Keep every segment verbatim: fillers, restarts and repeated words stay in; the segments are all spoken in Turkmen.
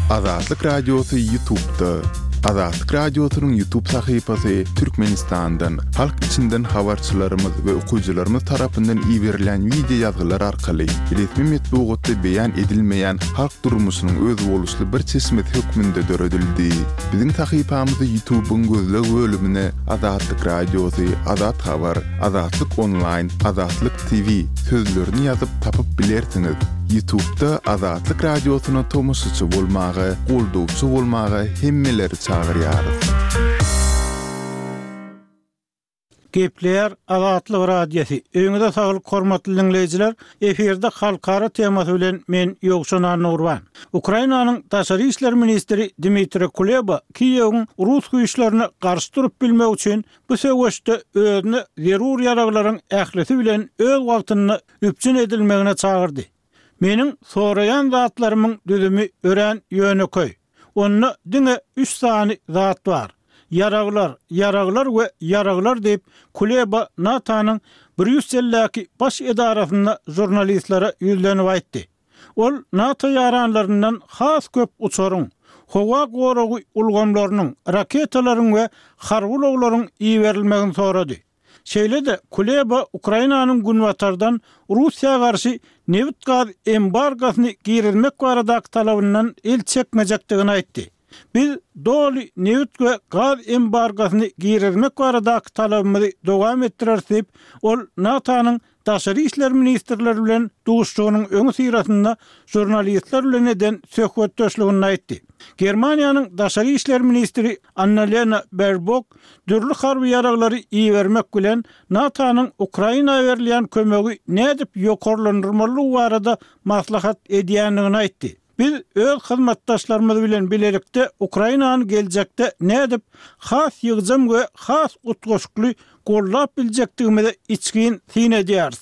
Azatlyk Radiosy YouTube'da. Azatlyk Radiosynyň YouTube sahypasy Türkmenistandan, halk içinden habarçylarymyz we okyjylarymyz tarapyndan iberilen wideo ýazgylar arkaly resmi metbugatda beýan edilmeýän halk durmuşynyň özboluşly bir çeşmesi hökmünde döredildi. Biziň sahypamyzy YouTube'yň gözleg bölümine Azatlyk Radiosy, Azat Habar, Azatlyk Online, Azatlyk T V sözlerini ýazyp tapyp bilersiňiz. YouTube'da Azatlyk Radiosyna tomaşaçy bolmaga, goldawçy bolmaga hemmeleri çagyrýarys. Gepleýär Azatlyk Radiosy. Öýüňize saglyk hormatly dinleýjiler. Efirde halkara temasy bilen men Ýowşan Annagurban. Ukrainanyň daşary işler ministri Dmitri Kuleba Kiýewiň rus güýçlerine garşy durup bilmek üçin bu söweşde özüne zerur ýaraglaryň ählisi bilen öz wagtynda üpjün edilmegine çagyrdy. Meniň soraýan zatlarymyň düzümi örän ýönekeý. Onda diňe üç sany zat bar. Ýaraglar, ýaraglar we ýaraglar diýip Kuleba NATO-nyň Brýusseldäki baş edarasynda žurnalistlere ýüzlenip aýtdy. Ol NATO ýaranlaryndan has köp uçaryň, howa goragy ulgamlarynyň, raketalaryň we harby ulaglaryň iberilmegini sorady. Şeýle-de Kuleba Ukrainanyň günbatardan Russiýa garşy nebit gaz embargosyny girizmek baradaky talabyndan el çekmejekdigini aýtdy. Biz doly nebit we gaz embargosyny girizmek baradaky talabymyzy dowam etdireris diýip, ol NATO-nyň daşary işler ministrleri bilen duşuşygynyň öňi syrasynda žurnalistler bilen eden söhbetdeşliginde aýtdy. Germaniýanyň daşary işler ministri Annalena Baerbock dürli harby ýaraglary ibermek bilen NATO-nyň Ukraina berilýän kömegi nädip ýokarlandyrmalydygy barada maslahat edýändigini aýtdy. Biz öz hyzmatdaşlarymyz bilen bilelikde Ukrainany geljekde nädip has ýygjam we has utgaşykly gollap biljekdigimize içgin syn edýäris.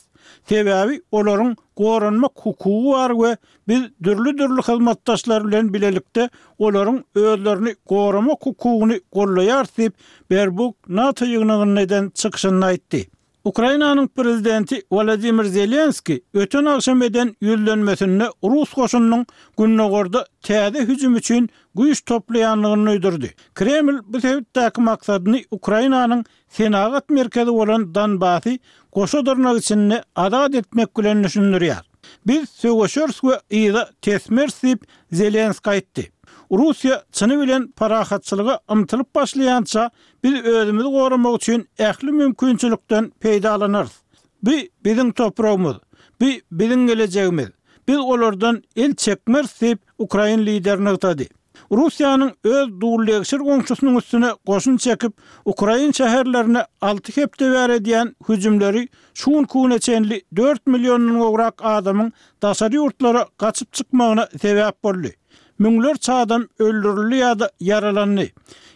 Sebäbi olaryň goranmak hukugy bar we biz dürli-dürli hyzmatdaşlar bilen bilelikde olaryň özlerini goramak hukugyny gollaýarys diýip Baerbock NATO ýygnagynda eden çykyşynda aýtdy. Ukrainanyň prezidenti Wladimir Zelenski öten agşam eden ýüzlenmesinde Rus goşunynyň gündogarda täze hüjüm üçin güýç toplaýandygyny duýdurdy. Kreml bu sebitdäki maksadyny Ukrainanyň senagat merkezi bolan Donbasy goşa dyrnak içinde azat etmek bilen düşündirýär. Biz söweşeris we yza tesmeris diýip Zelenski aýtdy. Russiýa çyny bilen parahatçylyga ymtylyp başlaýança biz özümizi goramak üçin ähli mümkinçilikden peýdalanarys. Bu biziň topragymyz, bu biziň gelejegimiz. Biz olardan el çekmeris diýip Ukrain lideri nygtady. Russiýanyň öz dullegşir goňşusynyň üstüne goşun çekip, Ukrain şäherlerine alty hepde bäri edýän hüjümleri şu güne çenli dört milliondan gowrak adamyň daşary ýurtlara gaçyp çykmagyna sebäp boldy. Müňlerçe adam öldürildi ýa-da ýaralandy.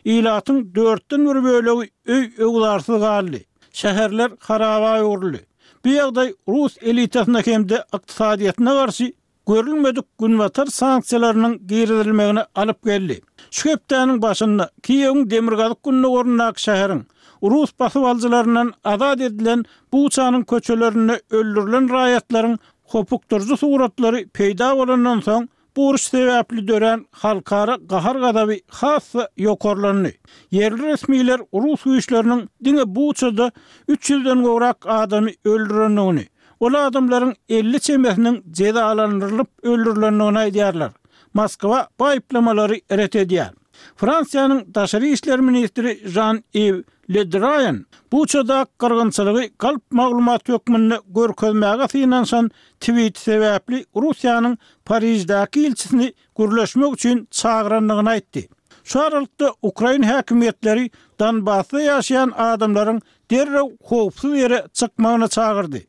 Ilatyň dörtden bir bölegi öý-öwzarsyz galdy. Şäherler haraba öwrüldi. Bu ýagdaý Rus elitasyna hem-de ykdysadyýetine garşy görülmedik günbatar sanksiýalarynyň girizilmegine alyp geldi. Şu hepdäniň başynda Kiýewiň demirgazyk gündogaryndaky şäheriň Rus basybalyjylaryndan azat edilen Buçanyň köçelerinde öldürilen raýatlaryň hopukdyryjy suratlary peýda bolandan soň bu uruş sebäpli dörän halkara gahar-gazaby has-da ýokarlandy. Ýerli resmiler Rus güýçleriniň diňe Buçada üç ýüzden gowrak adamy öldürendigini, ol adamlaryň elli çemesiniň jezalandyrylyp öldürilendigini aýdýarlar. Moskwa bu aýyplamalary ret edýär. Fransiýanyň daşary işler ministri Jean-Yves Le Drian Buçada gyrgynçylygy galp maglumat hökmünde görkezmäge synanyşan tweet sebäpli Russiýanyň Pariždäki ilçisini gürleşmek üçin çagyrandygyny aýtdy. Şu aralykda Ukrain häkimiýetleri Donbasda ýaşaýan adamlaryň derrew howpsuz ýere çykmagyna çagyrdy.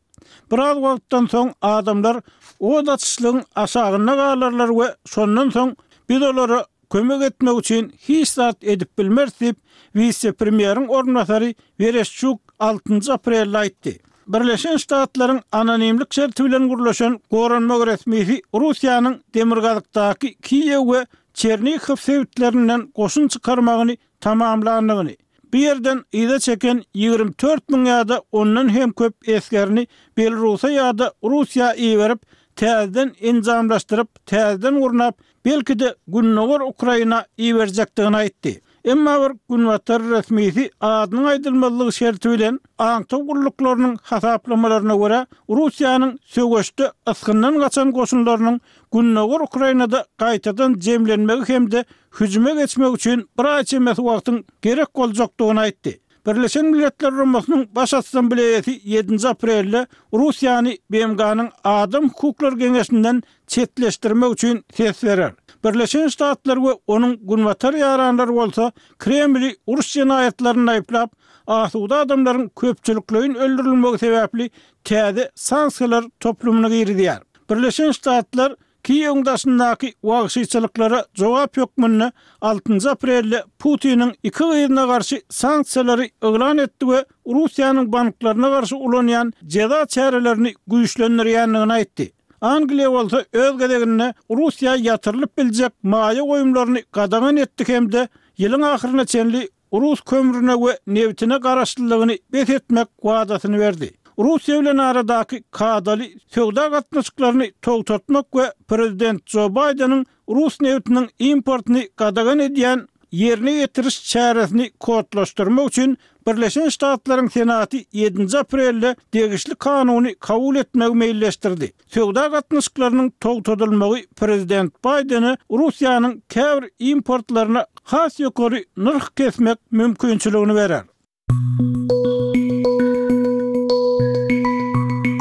Biraz wagtdan soň adamlar od açyşlygyň aşagynda galarlar we şondan soň biz olara kömek etmek üçin hiç zat edip bilmeris diýip wise-premýeriň orunbasary Wereşçuk altynjy aprelde aýtdy. Birleşen Ştatlaryň anonimlik şerti bilen gurlaşan goranmak resmisi Russiýanyň demirgazykdaky Kiýew we Çernihow sebitlerinden goşun çykarmagyny tamamlandygyny, bu ýerden yza çeken ýigrimi dört müň ýa-da ondan hem köp esgerini Belarusa ýa-da Russiýa iberip, täzeden enjamlaşdyryp, täzeden gurnap, belki-de Gündogar Ukraina iberjekdigini aýtdy. Emma bir Günbatar resmisi adynyň aýdylmazlygy şerti bilen aňtaw gulluklarynyň hasaplamalaryna görä, Russiýanyň söweşde ysgyndan gaçan goşunlarynyň Gündogar Ukrainada gaýtadan jemlenmegi hem-de hüjüme geçmegi üçin bir aý çemesi wagtyň gerek boljakdygyny aýtdy. Birleşen Milletler Guramasynyň Baş Assambleýasy ýedinji aprelde Russiýany B M G-nyň Adam hukuklary geňeşinden çetleşdirmek üçin ses berer. Birleşen Ştatlar we onuň Günbatar ýaranlary bolsa Kremli uruş jenaýatlarynda aýyplap, asuda adamlaryň köpçülikleýin öldürilmegi sebäpli täze sanksiýalar toplumyny girizýär. Birleşen Ştatlar Kiýewiň daşyndaky wagşyçylyklara jogap hökmünde altynjy aprelde Putiniň iki gyzyna garşy sanksiýalary yglan etdi we Russiýanyň banklaryna garşy ulanýan jeza çärelerini güýçlendirýändigini aýtdy. Angliýa bolsa öz gezeginde Russiýa ýatyrylyp biljek maýa goýumlaryny gadagan etdi hem-de ýylyň ahyryna çenli rus kömrüne we nebtine garaşlylygyny bes etmek wadasyny berdi. Russiýa bilen aradaky kadaly söwda gatnaşyklaryny togtatmak we prezident Jo Baýdeniň rus nebtiniň importyny gadagan edýän ýerine ýetiriş çäresini kodlaşdyrmak üçin Birleşen Ştatlaryň Senaty ýedinji aprelde degişli kanuny kabul etmegi meýilleşdirdi. Söwda gatnaşyklarynyň togtadylmagy prezident Baýdene Russiýanyň käbir importlaryna has ýokary nyrh kesmek mümkinçiligini berer.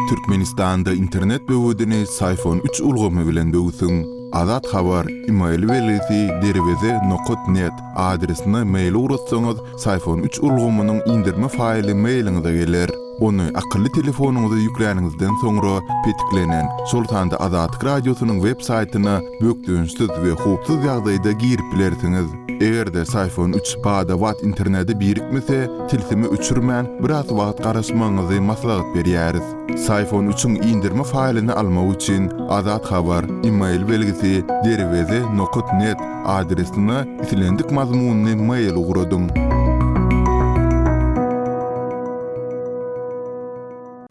Türkmenistanda internet böwedini Syfon üç ulgamy bilen böwsüň. Azat Habar, email belgisi derweze nokat net adresine mail ugratsaňyz, Syfon üç ulgamynyň indirme faýly mailiňize geler. Ony akylly telefonyňyza ýükläniňizden soňra petiklenen, şol sanda Azatlyk Radiosynyň web saýtyna bökdençsiz we howpsuz ýagdaýda girip bilersiňiz. Eger-de Syfon üç bada-bat internete birikmese, tilsimi öçürmän, biraz wagt garaşmagyňyzy maslahat berýäris. Syfon üçiň indirme faýlyny almak üçin Azat Habar, email belgisi derweze nokat net adresine islendik mazmunyny mail ugradyň.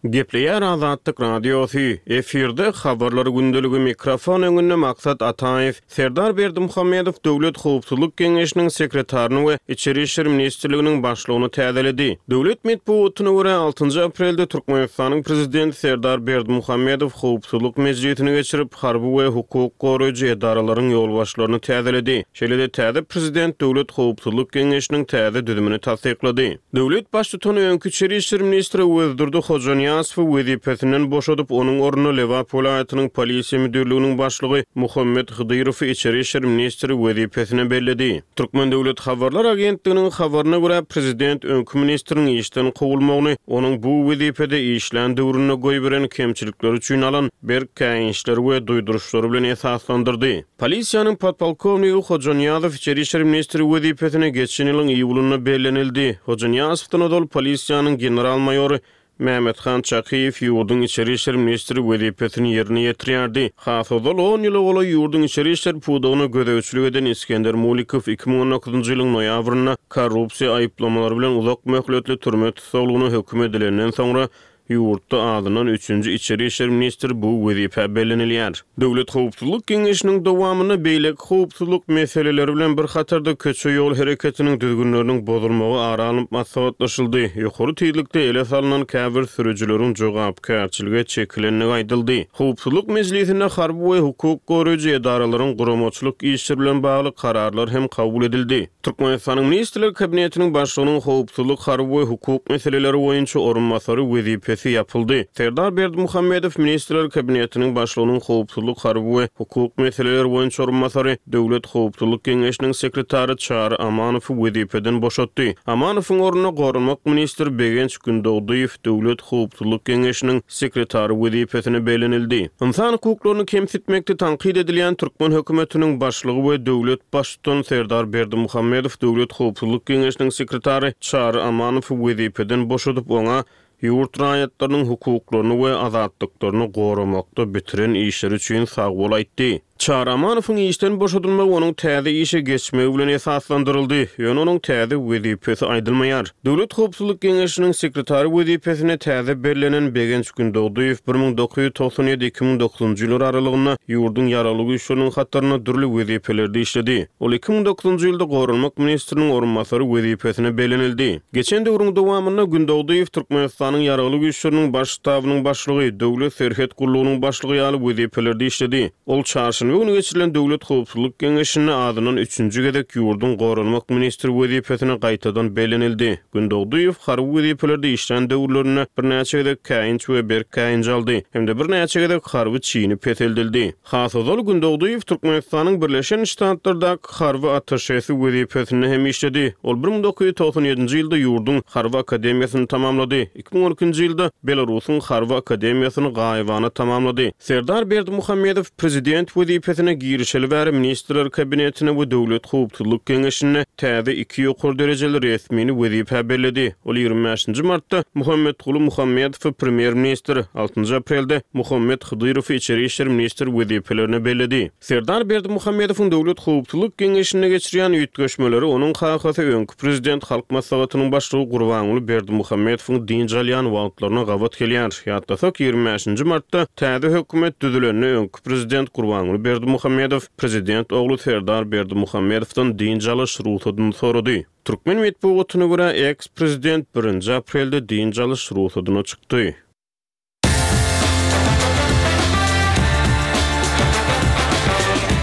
Gepleýär Azatlyk Radiosy, efirde habarlar gündeligi, mikrofon öňünde Maksat Ataýew. Serdar Berdimuhamedow Döwlet howpsuzlyk geňeşiniň sekretaryny we Içeri işler ministrliginiň başlygyny täzeledi. Döwlet metbugatyna görä, altynjy aprelde Türkmenistanyň prezidenti Serdar Berdimuhamedow howpsuzlyk mejlisini geçirip, harby we hukuk goraýjy edaralaryň ýolbaşçylaryny täzeledi. Şeýle-de täze prezident Döwlet howpsuzlyk geňeşiniň täze düzümini tassyklady. Döwlet baştutany öňki içeri işler ministri Öwezdurdy Hojanyýazowy wezipesinden boşadyp, onuň ornuna Lebap welaýatynyň polisiýa müdirliginiň başlygy Muhammet Hydyrowy içeri işler ministri wezipesine belledi. Türkmen döwlet habarlar agentliginiň habaryna görä, prezident öňki ministriň işden kowulmagyny onuň bu wezipede işlän döwründe goýberen kemçilikleri üçin alan berk käýinçleri we duýduryşlary bilen esaslandyrdy. Polisiýanyň podpolkownigi Hojanyýazow içeri işler ministri wezipesine geçen ýylyň iýulynda bellenildi. Hojanyýazowdan ozal polisiýanyň general-maýory Mehmethan Çakyýew ýurduň içeri işler ministri wezipesini ýerine ýetirýärdi. Has ozal on ýyla golaý ýurduň içeri işler pudagyna gözegçilik eden Iskender Mulikow iki müň on dokuzynjy ýylyň noýabrynda korrupsiýa aýyplamalary bilen uzak möhletli türme tussaglygyna höküm edilenden soňra ýurtda azyndan üçünji içeri işler ministri bu wezipä bellenilýär. Döwlet howpsuzlyk geňeşiniň dowamynda beýleki howpsuzlyk meseleleri bilen bir hatarda köçe ýol hereketiniň düzgünleriniň bozulmagy ara alnyp maslahatlaşyldy. Ýokary tizlikde ele salnan käbir sürüjileriň jogapkärçilige çekilendigi aýdyldy. Howpsuzlyk mejlisinde harby we hukuk goraýjy edaralaryň guramaçylyk işleri bilen bagly kararlar hem kabul edildi. Türkmenistanyň Ministrler Kabinetiniň başlygynyň howpsuzlyk, harby we hukuk meseleleri boýunça orunbasary wezipesi ýapyldy. Serdar Berdimuhamedow Ministrler Kabinetiniň başlygynyň howpsuzlyk, harby we hukuk meseleleri boýunça orunbasary, Döwlet howpsuzlyk geňeşiniň sekretary Çary Amanowy wezipeden boşatdy. Amanowyň ornuna Goranmak ministri Begenç Gündogdyýew Döwlet howpsuzlyk geňeşiniň sekretary wezipesine bellenildi. Ynsan hukuklaryny kemsitmekde tankyt edilýän türkmen hökümetiniň başlygy we döwlet baştutany Serdar Berdimuhamedow Döwlet howpsuzlyk geňeşiniň sekretary Çary Amanowy wezipeden boşadyp, oňa ýurt raýatlarynyň hukuklaryny we azatlyklaryny goramakda bitiren işleri üçin sag bol aýtdy. Çary Amanowyň işden boşadylmagy onuň täze işe geçmegi bilen esaslandyryldy, ýöne onuň täze wezipesi aýdylmaýar. Döwlet howpsuzlyk geňeşiniň sekretary wezipesine täze bellenen Begenç Gündogdyýew bir müň dokuz ýüz togsan ýedi iki müň dokuzynjy ýyllar aralygynda ýurduň Ýaragly Güýçleriniň hatarynda dürli wezipelerde işledi. Ol iki müň dokuzynjy ýylda Goranmak ministriniň orunbasary wezipesine bellenildi. Geçen döwrüň dowamynda Gündogdyýew Türkmenistanyň Ýaragly Güýçleriniň Baş ştabynyň başlygy, Döwlet serhet gullugynyň başlygy ýaly wezipelerde işledi. Ol çarşenbe güni geçirilen Döwlet howpsuzlyk geňeşinde azyndan üçünji gezek ýurduň Goranmak ministri wezipesine gaýtadan bellenildi. Gündogdyýew harby wezipelerde işlän döwürlerinde birnäçe gezek käýinç we berk käýinç aldy hem-de birnäçe gezek harby çini peseldildi. Has ozal Gündogdyýew Türkmenistanyň Birleşen Ştatlardaky harby attaşesi wezipesinde hem işledi. Ol bir müň dokuz ýüz togsan ýedinji ýylda ýurduň Harby akademiýasyny tamamlady. Iki müň on ikinji ýylda Belarusyň Harby akademiýasyny gaýybana tamamlady. Serdar Berdimuhamedow prezident wezipesine girişeli bäri Ministrler Kabinetine we Döwlet howpsuzlyk geňeşinde täze iki ýokary derejeli resmini wezipä belledi. Ol ýigrimi bäşinji martda Muhammetguly Muhammedowy premýer-ministr, altynjy aprelde Muhammet Hydyrowy içeri işler ministr wezipelerine belledi. Serdar Berdimuhamedowyň Döwlet howpsuzlyk geňeşinde geçirýän üýtgeşmeleri onuň kakasy öňki prezident Halk Maslahatynyň başlygy Gurbanguly Berdimuhamedowyň dynç alýan wagtlaryna gabat gelýär. Ýatlasak, ýigrimi bäşinji martda täze hökümet düzülende öňki prezident Gurbanguly Berdimuhamedow prezident ogly Serdar Berdimuhamedowdan dynç alyş rugsadyny sorady. Türkmen metbugatyna görä, eks-prezident birinji aprelde dynç alyş rugsadyna çykdy.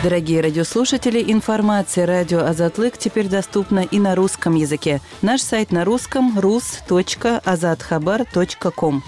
Дорогие радиослушатели, информация радио Азатлык теперь доступна и на русском языке. Наш сайт на русском рус точка азатхабар точка ком.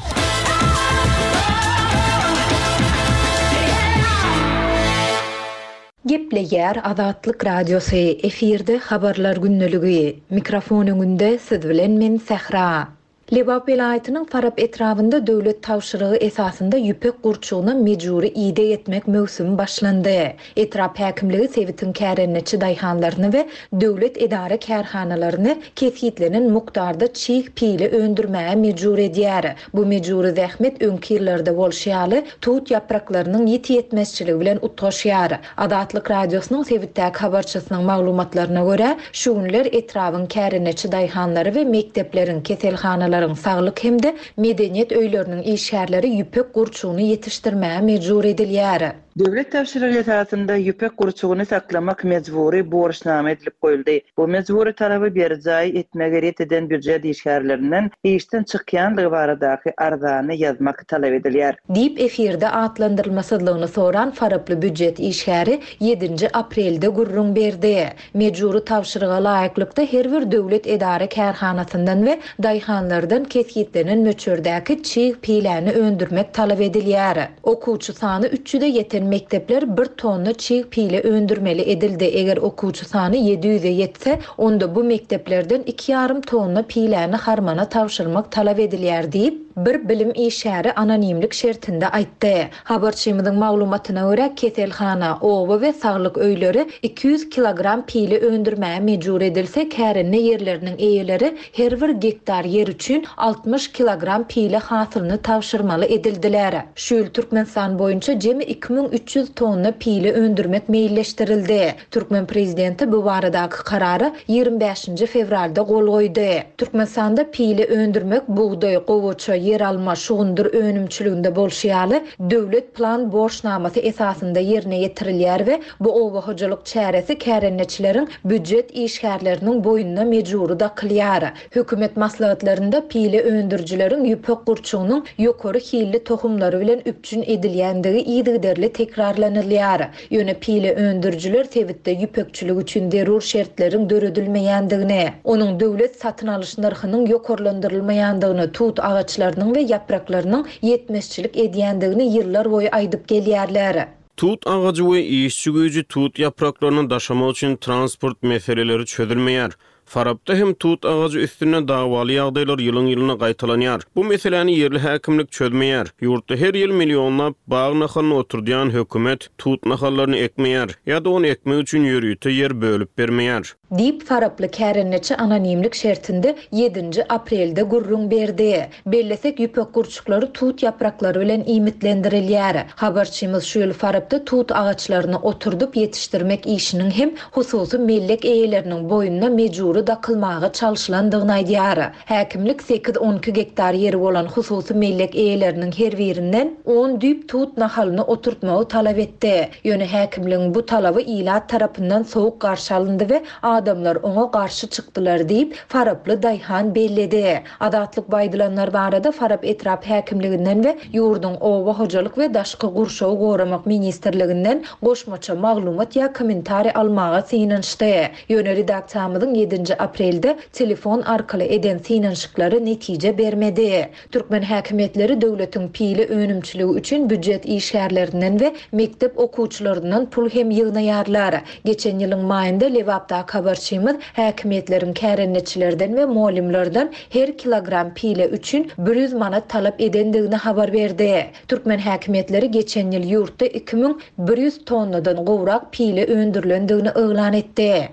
Gepleýär Azatlyk Radiosy, efirde habarlar günlügi. Mikrofon öňünde siz bilen men Sähra. Lebap welaýatynyň Farap etrabynda döwlet tabşyrygy esasynda ýüpek gurçugyna mejbury ideg etmek möwsümi başlandy. Etrap häkimligi sebitiň kärendeçi daýhanlaryny we döwlet edara kärhanalaryny kesgitlenen mukdarda çig pile öndürmäge mejbur edýär. Bu mejbury zähmet öňki ýyllarda bolşy ýaly tut ýapraklarynyň ýeti ýetmezçiligi bilen utgaşýar. Azatlyk Radiosynyň sebitdäki habarçysynyň maglumatlaryna görä, şu günler etrabyň kärendeçi daýhanlary we mekdepleriň keselhanalaryň saglyk hem-de medeniýet öýleriniň işgärleri ýüpek gurçugyny ýetişdirmäge mejbur edilýär. Döwlet tabşyrygy esasynda ýüpek gurçugyny saklamak mejbury borçnama edilip goýuldy. Bu mejbury talaby berjaý etmegi ret eden býujet işgärlerinden işden çykýanlygy baradaky arzany ýazmak talap edilýär. Diýip efirde atlandyrylmasyzlygyny soran Faraply býujet işgäri ýedinji aprelde gürrüň berdi. Mejbury tabşyryga laýyklykda her bir döwlet edara kärhanasyndan we daýhanlardan kesgitlenen möçberdäki çig piläni öndürmek talap edilýär. Okuwçy sany üç ýüze ýeten mekdepler bir tonna çig pile öndürmeli edildi. Eger okuwçy sany ýedi ýüze ýetse, onda bu mekdeplerden iki ýarym tonna piläni harmana tabşyrmak talap edilýär diýip, bir bilim işgäri anonimlik şertinde aýtdy. Habarçymyzyň maglumatyna görä, keselhana, oba we saglyk öýleri iki ýüz kilogram pile öndürmäge mejbur edilse, kärende ýerleriniň eýeleri her bir gektar ýer üçin altmyş kilogram pile hasylyny tabşyrmaly edildiler. Şu ýyl Türkmenistan boýunça jemi iki müň üç ýüz tonna pile öndürmek meýilleşdirildi. Türkmen prezidenti bu baradaky karara ýigrimi bäşinji fewralda gol goýdy. Türkmenistanda pile öndürmek bugdaý, gowaça, ýer alma, şugundyr önümçiliginde bolşy ýaly döwlet plan borçnamasy esasynda ýerine ýetirilýär we bu oba hojalyk çäresi kärendeçileriň býujet işgärleriniň boýnuna mejbury dakylýar. Hökümet maslahatlarynda pile öndürijileriň ýüpek gurçugynyň ýokary hilli tohumlary bilen üpjün edilýändigi yzygiderli tekrarlanylýar. Ýöne pile öndürijiler sebitde ýüpekçilik üçin zerur şertleriň döredilmeýändigini, onuň döwlet satyn alyş nyrhynyň ýokarlandyrylmaýandygyny, tut agaçlarynyň we ýapraklarynyň ýetmezçilik edýändigini ýyllar boýy aýdyp gelýärler. Tut agajy we işçi güýji tut ýapraklaryny daşamak üçin transport meseleleri çözülmeýär. Farapda hem tut agajy üstünde dawaly ýagdaýlar ýylyň ýylyna gaýtalanýar. Bu meseläni ýerli häkimlik çözmeýär. Ýurtda her ýyl millionlap bag nahalyny oturdýan hökümet tut nahallaryny ekmeýär ýa-da ony ekmek üçin ýörite ýer bölüp bermeýär. Diýip, faraply kärendeçi anonimlik şertinde ýedinji aprelde gürrüň berdi. Bellesek, ýüpek gurçuklary tut ýapraklary bilen iýmitlendirilýär. Habarçymyz şu ýyl Farapda tut agaçlaryny oturdyp ýetişdirmek işiniň hem hususy mellek eýeleriniň boýnuna mejbury dakylmaga çalşylandygyny aýdýar. Häkimlik sekiz-on iki gektar ýeri bolan hususy mellek eýeleriniň her birinden on düýp tut nahalyny oturtmagy talap etdi. Ýöne häkimligiň bu talaby ilat tarapyndan sowuk garşy alyndy we adamlar oňa garşy çykdylar diýip, faraply daýhan belledi. Azatlyk bu aýdylanlar barada Farap etrap häkimliginden we ýurduň Oba hojalyk we daşky gurşawy goramak ministrliginden goşmaça maglumat ýa kommentariý almaga synanyşdy. Ýöne redaksiýamyzyň ýedinji aprelde telefon arkaly eden synanyşyklary netije bermedi. Türkmen häkimiýetleri döwletiň pile önümçiligi üçin býujet işgärlerinden we mekdep okuwçylaryndan pul hem ýygnaýarlar. Geçen ýylyň maýynda Lebapdaky habarçymyz häkimiýetleriň kärendeçilerden we mugallymlardan her kilogram pile üçin bir ýüz manat talap edendigini habar berdi. Türkmen häkimiýetleri geçen ýyl ýurtda iki müň bir ýüz tonnadan gowrak pile öndürilendigini yglan etdi.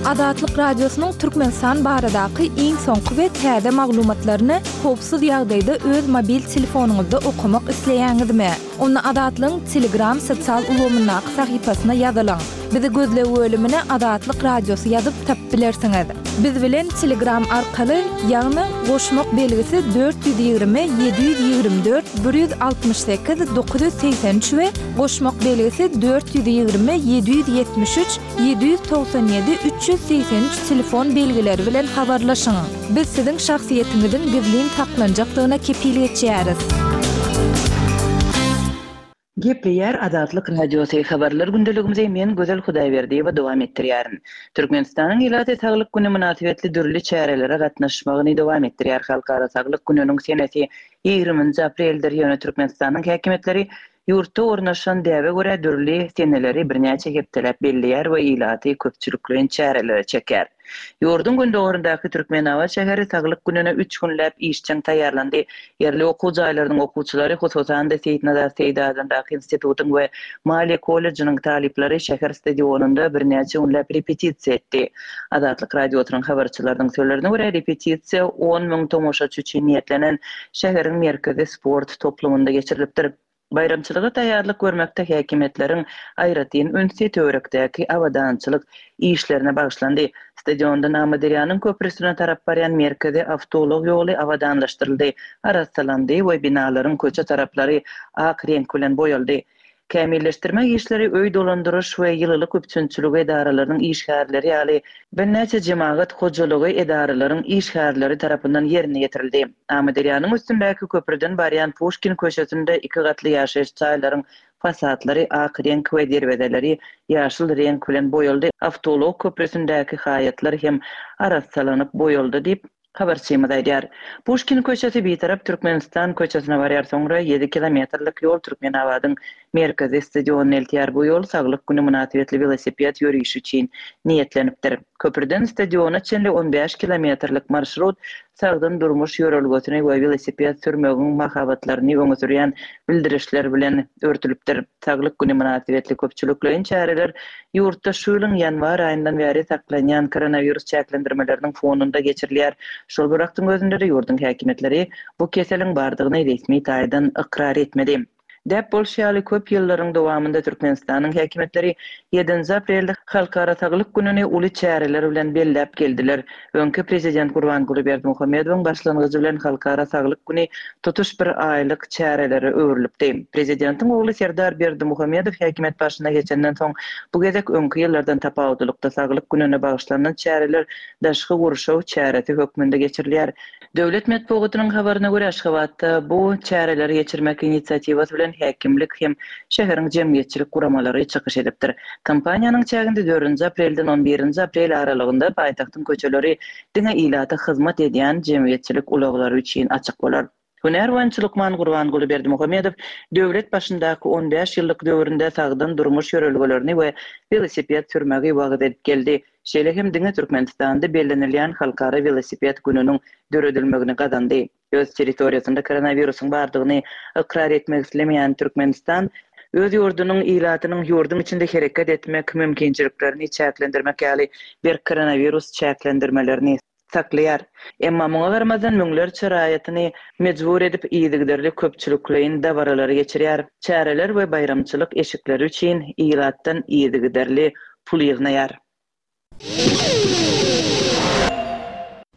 Azatlyk Radiosynyň Türkmenistan baradaky iň soňky we täze maglumatlaryny howpsuz ýagdaýda öz mobil telefonyňyzda okamak isleýäňizmi? Onda Azatlygyň Telegram sosial ulgamyndaky sahypasyna ýazylyň. Bizi gözleg bölümine Azatlyk Radiosy ýazyp tapyp bilersiňiz. Biz bilen Telegram arkaly, ýagny goşmak belgisi dört ýüz ýigrimi, ýedi ýüz ýigrimi dört, bir ýüz altmyş sekiz, dokuz ýüz segsen üç we goşmak belgisi dört ýüz ýigrimi, ýedi ýüz ýetmiş üç, ýedi ýüz togsan ýedi, üç ýüz segsen üç telefon belgileri bilen habarlaşyň. Biz siziň şahsyýetiňiziň gizlin saklanjakdygyna kepil geçýäris. Gepleýär Azatlyk Radiosy habarlar gündeligimizi men Gözel Hudaýberdiýewa dowam etdirýärin. Türkmenistanyň ilaty Saglyk güni mynasybetli dürli çärelere gatnaşmagyny dowam etdirýär. Halkara Saglyk gününiň senesi ýigriminji apreldir, ýöne Türkmenistanyň häkimiýetleri ýurtda ornaşan däbe görä dürli seneleri birnäçe hepdeläp belleýär we ilaty köpçülikleýin çärelere çekýär. Ýurduň gündogaryndaky Türkmenabat şäheri Saglyk gününe üç günläp işjeň taýýarlandy. Ýerli okuw jaýlarynyň okuwçylary, hususan-da Seýitnazar Seýdi adyndaky institutyň we maliýe kollejiniň talyplary şäher stadionynda birnäçe günläp repetisiýa etdi. Azatlyk Radiosynyň habarçylarynyň sözlerine görä, repetisiýa on müň tomaşaçy üçin niýetlenen şäheriň merkezi sport toplumynda geçirilipdir. Baýramçylyga taýýarlyk görmekde häkimiýetleriň aýratyn ünsi töwerekdäki abadançylyk işlerine bagyşlandy. Stadiondan Amyderýanyň köprüsine tarap barýan merkezi awtoulag ýoly abadanlaşdyryldy, arassalandy we binalaryň köçe taraplary ak reňk bilen boýaldy. Kämilleşdirme işleri öý dolandyryş we ýylylyk üpjünçiligi edaralarynyň işgärleri ýaly birnäçe jemagat hojalygy edaralaryň işgärleri tarapyndan ýerine ýetirildi. Amyderýanyň üstündäki köprüden barýan Puşkin köçesinde iki gatly ýaşaýyş jaýlaryň fasadlary ak reňk we derwezeleri ýaşyl reňk bilen boýaldy. Awtoulag köprüsündäki haýatlar hem arassalanyp boýaldy diýip habarçymyz aýdýar. Puşkin köçesi Bitarap Türkmenistan köçesine barýar, soňra ýedi kilometrlik ýol Türkmenabadyň merkezi stadionyna eltýär. Bu ýol Saglyk güni mynasybetli welosiped ýörişi üçin niýetlenipdir. Köprüden stadiona çenli on bäş kilometrlik marşrut sagdyn durmuş ýörelgesini we welosiped sürmegiň mahabatlaryny öňe sürýän bildirişler bilen örtülipdir. Saglyk güni mynasybetli köpçülikleýin çäreler ýurtda şu ýylyň ýanwar aýyndan bäri saklanýan koronawirus çäklendirmeleriniň fonunda geçirilýär. Şol bir wagtyň özünde-de ýurduň häkimiýetleri bu keseliň bardygyny resmi taýdan ykrar etmedi. Däp bolşy ýaly köp ýyllaryň dowamynda Türkmenistanyň häkimiýetleri ýedinji aprelde Halkara Saglyk gününi uly çäreler bilen belläp geldiler. Öňki prezident Gurbanguly Berdimuhamedowyň başlangyjy bilen Halkara Saglyk güni tutuş bir aýlyk çärelere öwrülipdi. Prezidentiň ogly Serdar Berdimuhamedow häkimiýet başyna geçenden soň bu gezek öňki ýyllardan tapawutlylykda Saglyk gününe bagyşlanan çäreler daşky gurşaw çäresi hökmünde geçirilýär. Döwlet metbugatynyň habaryna görä, Aşgabatda bu çäreleri geçirmek inisiatiwasy bilen häkimlik hem şäheriň jemgyýetçilik guramalary çykyş edipdir. Kampaniýanyň çäginde dördünji aprelden on birinji aprel aralygynda paýtagtyň köçeleri diňe ilata hyzmat edýän jemgyýetçilik ulaglary üçin açyk bolar. Hünär boýunça lukman Gurbanguly Berdimuhamedow döwlet başyndaky on bäş ýyllyk döwründe sagdyn durmuş ýörelgelerini we welosiped sürmegi wagyz edip geldi. Şeýle hem diňe Türkmenistanda bellenilýän Halkara welosiped gününiň döredilmegini gazandy. Öz territoriýasynda koronawirusyň bardygyny ykrar etmek islemeýän Türkmenistan Öz ýurdunyň ilatynyň ýurduň içinde hereket etmek mümkinçiliklerini çäklendirmek ýaly berk koronawirus çäklendirmelerini saklaýar. Emma muňa garamazdan müňlerçe raýatyny mejbur edip yzygiderli köpçülikleýin dabaralary geçirýär. Çäreler we baýramçylyk eşikleri üçin ilatdan yzygiderli pul ýygnaýar.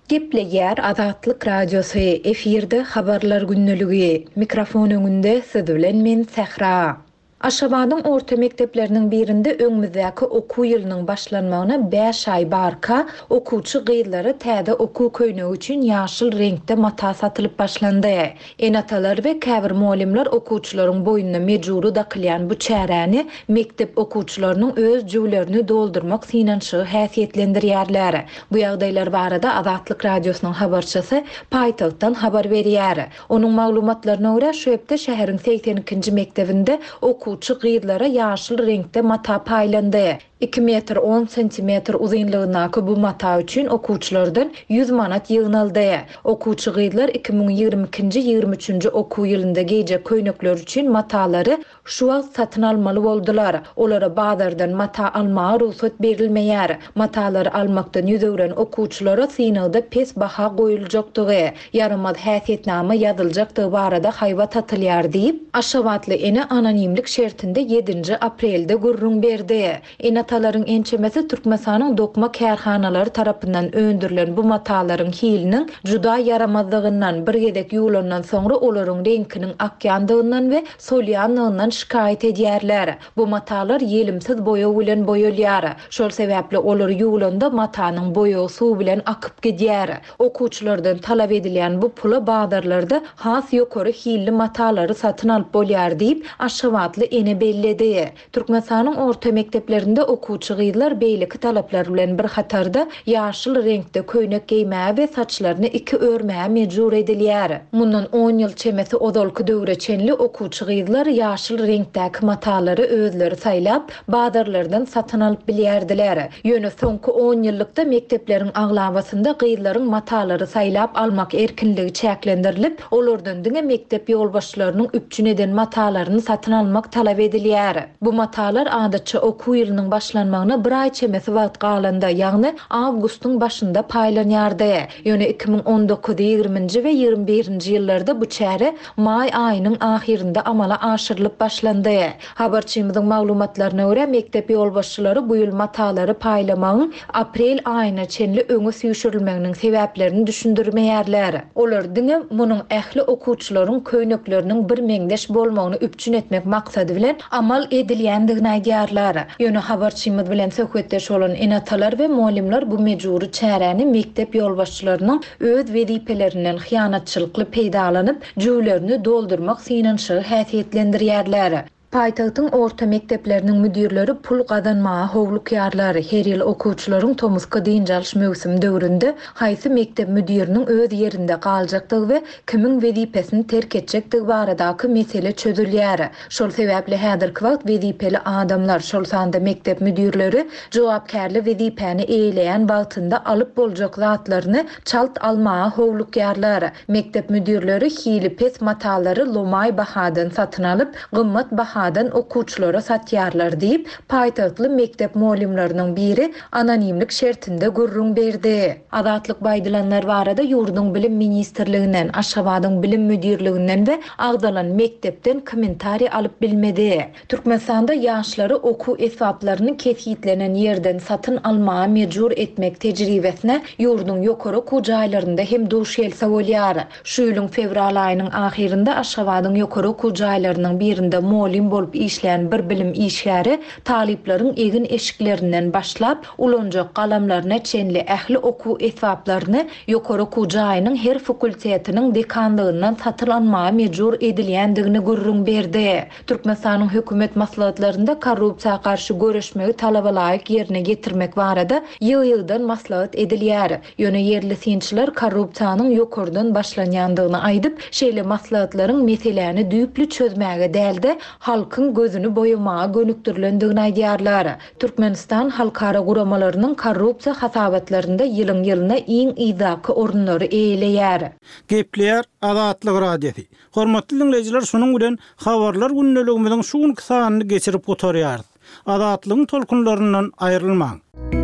Gepleýär Azatlyk Radiosy, efirde habarlar gündeligi. Mikrofon öňünde siz bilen men Sähra. Aşgabadyň orta mekdepleriniň birinde öňümizdäki okuw ýylynyň başlanmagyna bäş aý barka, okuwçy gyzlara täze okuw köýnegi üçin ýaşyl reňkde mata satylyp başlandy. Ene-atalar we käbir mugallymlar okuwçylaryň boýnuna mejbury dakylýan bu çäräni mekdep okuwçylarynyň öz jüwlerini doldurmak synanyşygy häsiýetlendirýärler. Bu ýagdaýlar barada Azatlyk Radiosynyň habarçysy paýtagtdan habar berýär. Onuň maglumatlaryna görä, şu hepde şäheriň segsen ikinji mekdebinde okuwçy gyzlara ýaşyl reňkde mata paýlandy. Iki metr on sentimetr uzynlygyndaky bu mata üçin okuwçylardan ýüz manat ýygnaldy. Okuwçy gyzlar iki müň ýigrimi ikinji, ýigrimi üçünji okuw ýylynda geýjek köýnekler üçin matalary şu wagt satyn almaly boldular. Olara bazardan mata almaga rugsat berilmeýär. Matalary almakdan ýüz öwren okuwçylara synagda pes baha goýuljakdygy, ýaramaz häsiýetnama ýazyljakdygy barada haýbat atylýar diýip, Aşgabatly ene anonimlik şertinde ýedinji aprelde gürrüň berdi. Ene-atalaryň ençemesi Türkmenistanyň dokma kärhanalary tarapyndan öndürilen bu matalaryň hiliniň juda ýaramazlygyndan, bir gezek ýuwlandan soňra olaryň reňkiniň akýandygyndan we solýandygyndan şikaýat edýärler. Bu matalar ýelimsiz boýag bilen boýalýar. Şol sebäpli olar ýuwlanda matanyň boýagy suw bilen akyp gidýär. Okuwçylardan talap edilýän bu pula bazarlarda has ýokary hilli matalary satyn alyp bolýar diýip, Aşgabatly ene belledi. Türkmenistanyň orta mekdeplerinde okuwçy gyzlar beýleki talaplar bilen bir hatarda ýaşyl reňkde köýnek geýmäge we saçlaryny iki örmäge mejbur edilýär. Mundan on ýyl çemesi ozalky döwre çenli okuwçy gyzlar ýaşyl reňkdäki matalary özleri saýlap, bazarlardan satyn alyp bilýärdiler. Ýöne soňky on ýyllykda mekdepleriň aglabasynda gyzlaryň matalary saýlap almak erkinligi çäklendirilip, olardan diňe mekdep ýolbaşçylarynyň üpjün eden matalaryny satyn almak talap edilýär. Bu matalar adatça okuw ýylynyň başlanmagyna bir aý çemesi wagt galanda, ýagny awgustyň başynda paýlanýardy. Ýöne iki müň on dokuz, ýigriminji we ýigrimi birinji ýyllarda bu çäre maý aýynyň ahyrynda amala aşyrylyp başlandy. Habarçymyzyň maglumatlaryna görä, mekdep ýolbaşçylary bu ýyl matalary paýlamagyň aprel aýyna çenli öňe süýşürilmeginiň sebäplerini düşündirmeýärler. Olar diňe munuň ähli okuwçylaryň köýnekleriniň bir meňzeş bolmagyny üpjün etmek maksady bilen amal edilýändigini aýdýarlar. Ýöne habarçymyz bilen söhbetdeş bolan ene-atalar we mugallymlar bu mejbury çäräni mekdep ýolbaşçylarynyň öz wezipelerinden hyýanatçylykly peýdalanyp, jüwlerini doldurmak synanyşygy häsiýetlendirýärler. Paýtagtyň orta mekdepleriniň müdirleri pul gazanmaga howlukýarlar. Her ýyl okuwçylaryň tomusky dynç alyş möwsümi döwründe haýsy mekdep müdiriniň öz ýerinde galjakdygy we kimiň wezipesini terk etjekdigi baradaky mesele çözülýär. Şol sebäpli häzirki wagt wezipeli adamlar, şol sanda mekdep müdirleri jogapkärli wezipäni eýeleýän wagtynda alyp boljak zatlaryny çalt almaga howlukýarlar. Mekdep müdirleri hili pes matalary lomaý bahadan satyn alyp, gymmat bahadan okuwçylara satýarlar diýip, paýtagtly mekdep mugallymlarynyň biri anonimlik şertinde gürrüň berdi. Azatlyk baýdylanlar barada ýurduň bilim ministrliginden, Aşgabadyň bilim müdirliginden we agzalan mekdepden kommentariý alyp bilmedi. Türkmenistanda ýaşlary okuw esbaplaryny kesgitlenen ýerden satyn almaga mejbur etmek tejribesine ýurduň ýokary okuw jaýlarynda hem duş gelse bolýar. Şu ýylyň fewral aýynyň ahyrynda Aşgabadyň ýokary okuw jaýlarynyň birinde mugallym bolup işleýän bir bilim işgäri talyplaryň egin eşiklerinden başlap ulanjak galamlaryna çenli ähli okuw esbaplaryny ýokary okuw jaýynyň her fakultetiniň dekanlygyndan satyn almaga mejbur edilýändigini gürrüň berdi. Türkmenistanyň hökümet maslahatlarynda korrupsiýa garşy göreşmegi talaba laýyk ýerine getirmek barada ýygy-ýygydan maslahat edilýär. Ýöne ýerli synçylar korrupsiýanyň ýokardan başlanýandygyny aýdyp, şeýle maslahatlaryň meseläni düýpli çözmäge däl-de, halkyň halkyň gözüni boýamaga gönükdirilendigini aýdýarlar. Türkmenistan halkara guramalarynyň korrupsiýa hasabatlarynda ýylyň-ýylyna iň yzdaky orunlary eýeleýär. Gepleýär Azatlyk Radiosy. Hormatly diňleýjiler, şunuň bilen habarlar gündeligimiziň şu günki sanyny geçirip gutarýarys. Azatlygyň tolkunlaryndan aýrylmaň.